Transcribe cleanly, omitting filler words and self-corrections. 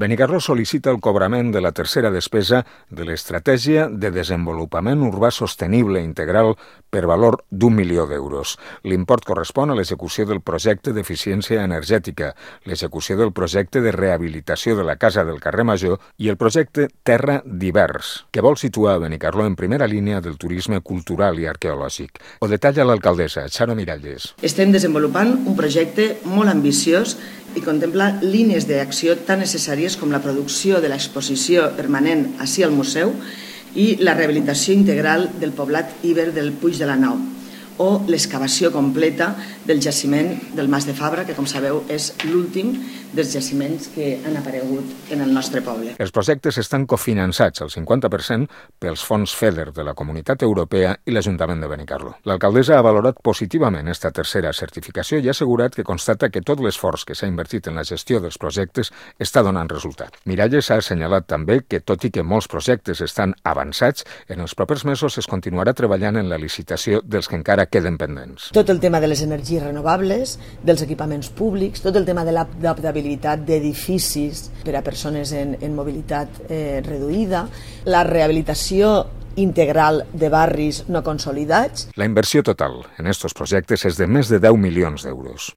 Benicarló sol·licita el cobrament de la tercera despesa de l'Estratègia de Desenvolupament Urbà Sostenible Integral per valor d'1 milió d'euros. L'import correspon a l'execució del projecte d'eficiència energètica, l'execució del projecte de rehabilitació de la Casa del Carrer Major i el projecte Terra Divers, que vol situar a Benicarló en primera línia del turisme cultural i arqueològic. Ho detalla l'alcaldessa, Charo Miralles. Estem desenvolupant un projecte molt ambiciós i contempla línies d'acció tan necessàries com la producció de l'exposició permanent ací al museu i la rehabilitació integral del poblat iber del Puig de la Nau o l'excavació completa del jaciment del Mas de Fabra, que, com sabeu, és l'últim dels jaciments que han aparegut en el nostre poble. Els projectes estan cofinançats al 50% pels fons FEDER de la Comunitat Europea i l'Ajuntament de Benicarló. L'alcaldessa ha valorat positivament esta tercera certificació i ha assegurat que constata que tot l'esforç que s'ha invertit en la gestió dels projectes està donant resultat. Miralles ha assenyalat també que, tot i que molts projectes estan avançats, en els propers mesos es continuarà treballant en la licitació dels que encara queden pendents. Tot el tema de les energies renovables, dels equipaments públics, tot el tema de l'adaptabilitat d'edificis per a persones en mobilitat reduïda, la rehabilitació integral de barris no consolidats. La inversió total en estos projectes és de més de 10 milions d'euros.